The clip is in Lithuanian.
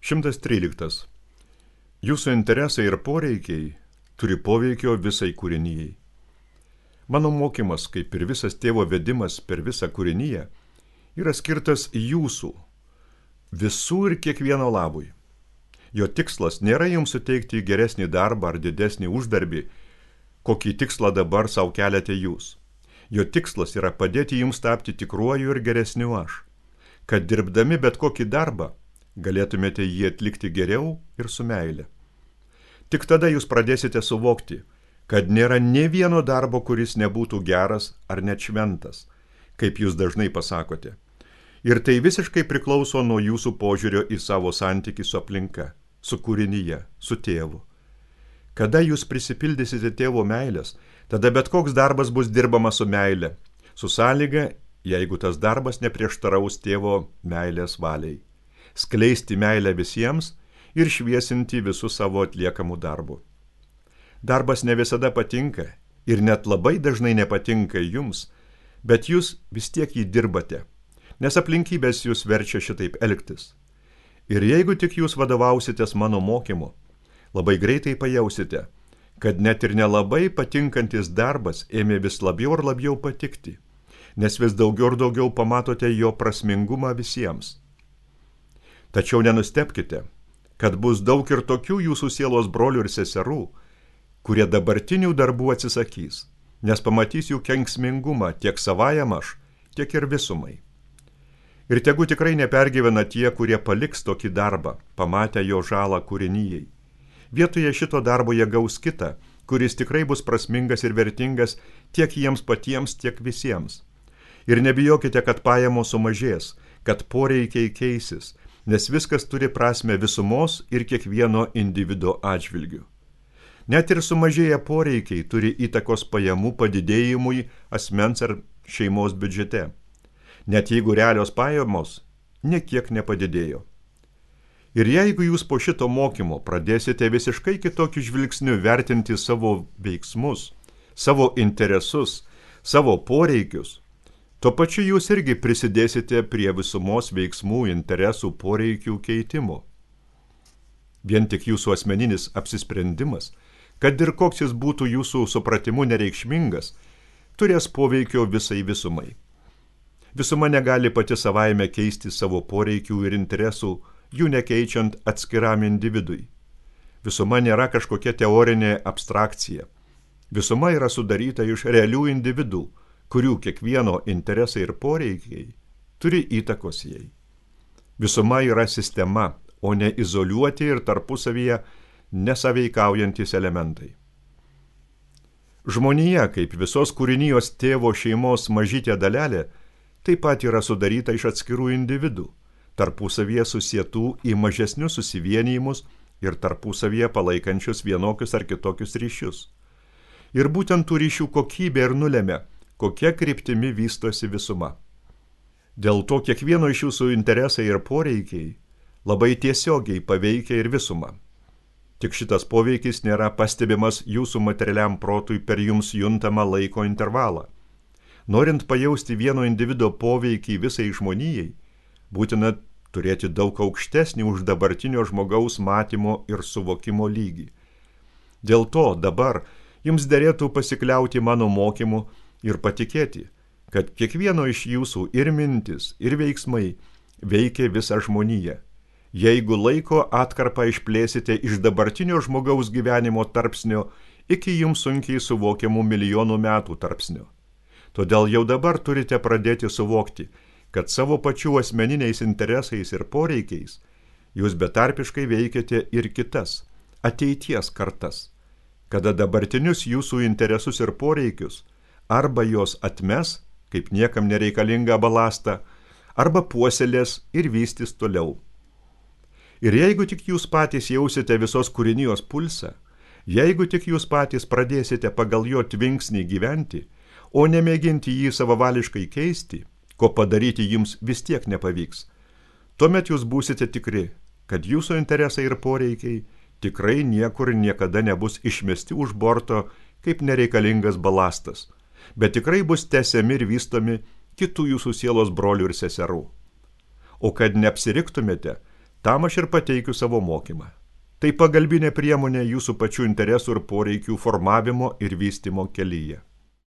113. Jūsų interesai ir poreikiai turi poveikio visai kūrinijai. Mano mokymas, kaip ir visas tėvo vedimas per visą kūriniją, yra skirtas jūsų, visų ir kiekvieno labui. Jo tikslas nėra jums suteikti geresnį darbą ar didesnį uždarbį, kokį tikslą dabar savo keliate jūs. Jo tikslas yra padėti jums tapti tikruoju ir geresniu aš, kad dirbdami bet kokį darbą galėtumėte jį atlikti geriau ir su meile. Tik tada jūs pradėsite suvokti, kad nėra nė vieno darbo, kuris nebūtų geras ar net šventas, kaip jūs dažnai pasakote. Ir tai visiškai priklauso nuo jūsų požiūrio į savo santykį su aplinka, su kūrinyje, su tėvu. Kada jūs prisipildysite tėvo meilės, tada bet koks darbas bus dirbamas su meile, su sąlyga, jeigu tas darbas neprieštaraus tėvo meilės valiai. Skleisti meilę visiems ir šviesinti visų savo atliekamų darbų. Darbas ne visada patinka ir net labai dažnai nepatinka jums, bet jūs vis tiek jį dirbate, nes aplinkybės jūs verčia šitaip elgtis. Ir jeigu tik jūs vadovausitės mano mokymu, labai greitai pajausite, kad net ir nelabai patinkantis darbas ėmė vis labiau ir labiau patikti, nes vis daugiau ir daugiau pamatote jo prasmingumą visiems. Tačiau nenustebkite, kad bus daug ir tokių jūsų sielos brolių ir seserų, kurie dabartinių darbų atsisakys, nes pamatys jų kenksmingumą tiek savajam aš, tiek ir visumai. Ir tegu tikrai nepergyvena tie, kurie paliks tokį darbą, pamatę jo žalą kūrinyjei. Vietoje šito darbo jie gaus kitą, kuris tikrai bus prasmingas ir vertingas tiek jiems patiems, tiek visiems. Ir nebijokite, kad pajamos sumažės, kad poreikiai keisis, nes viskas turi prasmę visumos ir kiekvieno individo atžvilgių. Net ir sumažėję poreikiai turi įtakos pajamų padidėjimui asmens ar šeimos biudžete, net jeigu realios pajamos niekiek nepadidėjo. Ir jeigu jūs po šito mokymo pradėsite visiškai kitokiu žvilgsniu vertinti savo veiksmus, savo interesus, savo poreikius, tuo pačiu jūs irgi prisidėsite prie visumos veiksmų, interesų, poreikių keitimo. Vien tik jūsų asmeninis apsisprendimas, kad ir koks jis būtų jūsų supratimu nereikšmingas, turės poveikio visai visumai. Visuma negali pati savaime keisti savo poreikių ir interesų, jų nekeičiant atskiram individui. Visuma nėra kažkokia teorinė abstrakcija. Visuma yra sudaryta iš realių individų, kurių kiekvieno interesai ir poreikiai turi įtakos jai. Visuma yra sistema, o ne izoliuoti ir tarpusavyje nesaveikaujantis elementai. Žmonija, kaip visos kūrinijos tėvo šeimos mažytė dalelė, taip pat yra sudaryta iš atskirų individų, tarpusavyje susietų į mažesnius susivienijimus ir tarpusavyje palaikančius vienokius ar kitokius ryšius. Ir būtent tų ryšių kokybė ir nulemia, kokia kryptimi vystosi visuma. Dėl to kiekvieno iš jūsų interesai ir poreikiai labai tiesiogiai paveikia ir visumą. Tik šitas poveikis nėra pastebimas jūsų materialiam protui per jums juntamą laiko intervalą. Norint pajausti vieno individo poveikį visai žmonijai, būtina turėti daug aukštesnį už dabartinio žmogaus matymo ir suvokimo lygį. Dėl to dabar jums derėtų pasikliauti mano mokymu ir patikėti, kad kiekvieno iš jūsų ir mintis, ir veiksmai veikia visą žmoniją. Jeigu laiko atkarpą išplėsite iš dabartinio žmogaus gyvenimo tarpsnio iki jums sunkiai suvokiamų milijonų metų tarpsnio. Todėl jau dabar turite pradėti suvokti, kad savo pačių asmeniniais interesais ir poreikiais jūs betarpiškai veikiate ir kitas, ateities kartas, kada dabartinius jūsų interesus ir poreikius arba jos atmes, kaip niekam nereikalingą balastą, arba puoselės ir vystys toliau. Ir jeigu tik jūs patys jausite visos kūrinijos pulsą, jeigu tik jūs patys pradėsite pagal jo tvinksnį gyventi, o nemėginti jį savavališkai keisti, ko padaryti jums vis tiek nepavyks, tuomet jūs būsite tikri, kad jūsų interesai ir poreikiai tikrai niekur niekada nebus išmesti už borto kaip nereikalingas balastas, bet tikrai bus tęsiami ir vystomi kitų jūsų sielos brolių ir seserų. O kad neapsiriktumėte, Tam aš ir pateikiu savo mokymą. Tai pagalbinė priemonė jūsų pačių interesų ir poreikių formavimo ir vystymo kelyje.